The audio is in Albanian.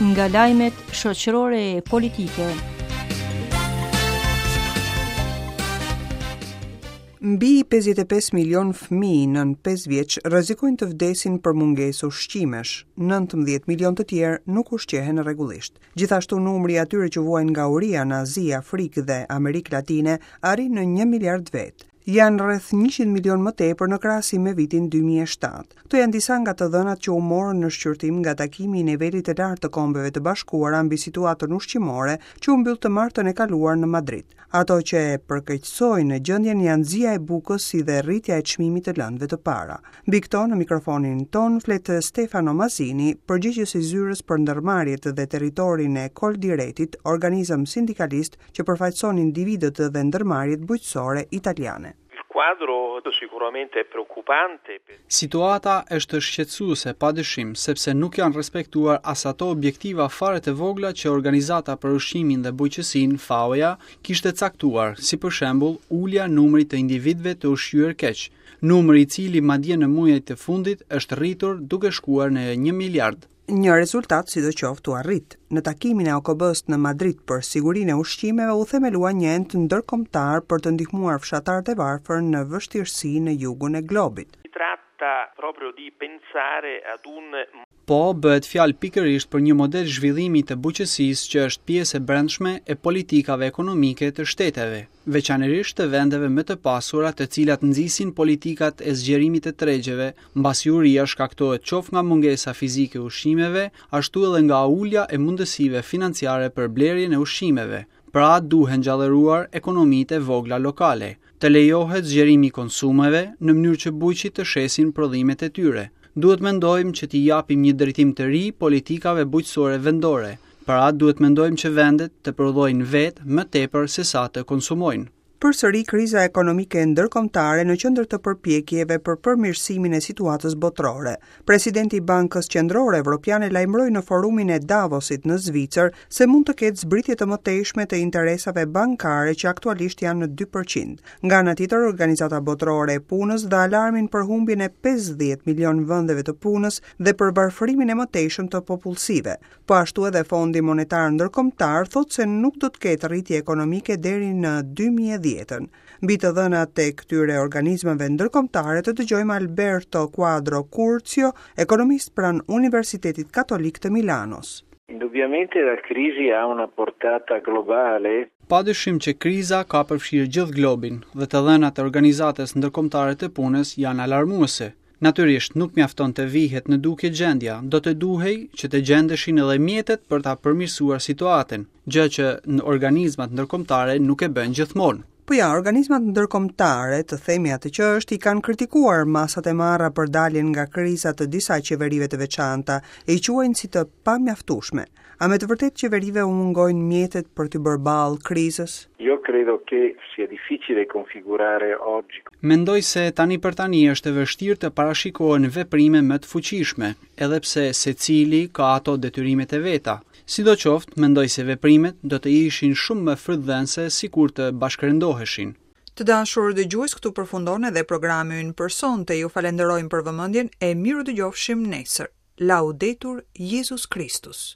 Nga lajmet shoqërore e politike. Mbi 55 milion fëmijë nën 5 vjeç rrezikojnë të vdesin për mungesë ushqimesh. 19 milion të tjerë nuk ushqehen rregullisht. Gjithashtu numri i atyre që vuajnë nga uria në Azi, Afrikë dhe Amerikë Latine arrin në 1 miliard vetë. Janë rreth 100 milionë më tepër në krahasim me vitin 2007. Këto janë disa nga të dhënat që u morën në shqyrtim nga takimi i nivelit të lartë të Kombeve të Bashkuara mbi situatën ushqimore që u mbyll të martën e kaluar në Madrid. Ato që e përkeqësojnë gjendjen janë zia e bukës si dhe rritja e çmimit të lëndëve të para. Mbi këto në mikrofonin tonë flet Stefano Mazini, përgjegjës i zyrës për ndërmarrjet dhe territorin e Coldiretit, organizëm sindikalist që përfaqëson individët dhe ndërmarrjet bujqësore italiane. Il quadro sicuramente è preoccupante. Situata është shqetësuese padyshim, sepse nuk janë respektuar as ato objektiva fare të vogla që Organizata për Ushqimin dhe Bujqësinë, FAO-ja, kishte caktuar, si për shembull ulja e numrit të individëve të ushqyer keq, numër i cili madje në muajt e fundit është rritur duke shkuar në një miliard. Një rezultat sidoqoftë u arrit. Në takimin e OKB-së në Madrid për sigurinë e ushqimeve u themelua një ent ndërkombëtar për të ndihmuar fshatarët e varfër në vështirësi në jugun e globit. Si tratta proprio di pensare ad un Po, bëhet fjalë pikërisht për një model zhvillimi të bujqësisë që është pjesë e brendshme e politikave ekonomike të shteteve, veçanërisht të vendeve më të pasura të cilat nxisin politikat e zgjerimit të tregjeve, mbasi uria shkaktohet qoftë nga mungesa fizike e ushqimeve, ashtu edhe nga ulja e mundësive financiare për blerjen e ushqimeve. Pra, duhen gjallëruar ekonomitë e vogla lokale. Të lejohet zgjerimi i konsumeve, në mënyrë që bujqit të shesin prodhimet e tyre. Duhet mendojmë që t'i japim një drejtim të ri politikave bujqësore vendore. Pra, duhet mendojmë që vendet të prodhojnë vetë më tepër sesa të konsumojnë. Përsëri kriza ekonomike ndërkombëtare në qendër të përpjekjeve për përmirësimin e situatës botërore. Presidenti i Bankës Qendrore Evropiane lajmëroi në forumin e Davosit në Zvicër se mund të ketë zbritje të mëtejshme të interesave bankare që aktualisht janë në 2%. Nga ana tjetër, Organizata Botërore e Punës dha alarmin për humbjen e 50 milion vendeve të punës dhe për varfërimin e mëtejshëm të popullsive. Po ashtu edhe Fondi Monetar Ndërkombëtar thotë se nuk do të ketë rritje ekonomike deri në 2010-ën. Mbi të dhënat e këtyre organizmave ndërkombëtare të dëgjojmë Alberto Quadro Curzio, ekonomist pranë Universitetit Katolik të Milanos. Indubbiamente la crisi ha una portata globale. Padyshim që kriza ka përfshirë gjithë globin dhe të dhënat e Organizatës Ndërkombëtare të Punës janë alarmuese. Natyrisht, nuk mjafton të vihet në dukje gjendja, do të duhej që të gjendeshin edhe mjetet për ta përmirësuar situatën, gjë që organizmat ndërkombëtare nuk e bëjnë gjithmonë. Po ja, organizmat ndërkombëtare, të themi atë që është, i kanë kritikuar masat e marra për daljen nga kriza të disa qeverive të veçanta, e i quajnë si të pamjaftueshme. A me të vërtetë qeverive u mungojnë mjetet për t'i bërë ballë krizës? Io credo che sia difficile configurare oggi. Mendoj se tani për tani është e vështirë të parashikohen veprime më të fuqishme, edhe pse secili ka ato detyrimet e veta. Sidoqoftë, mendoj se veprimet do të ishin shumë më frytdhënëse sikur të bashkërendoheshin. Të dashur dëgjues, këtu përfundon edhe programi ynë për sonte. Ju falenderojmë për vëmendjen e mirudëgjofshim nesër. Laudetur Jezus Christus.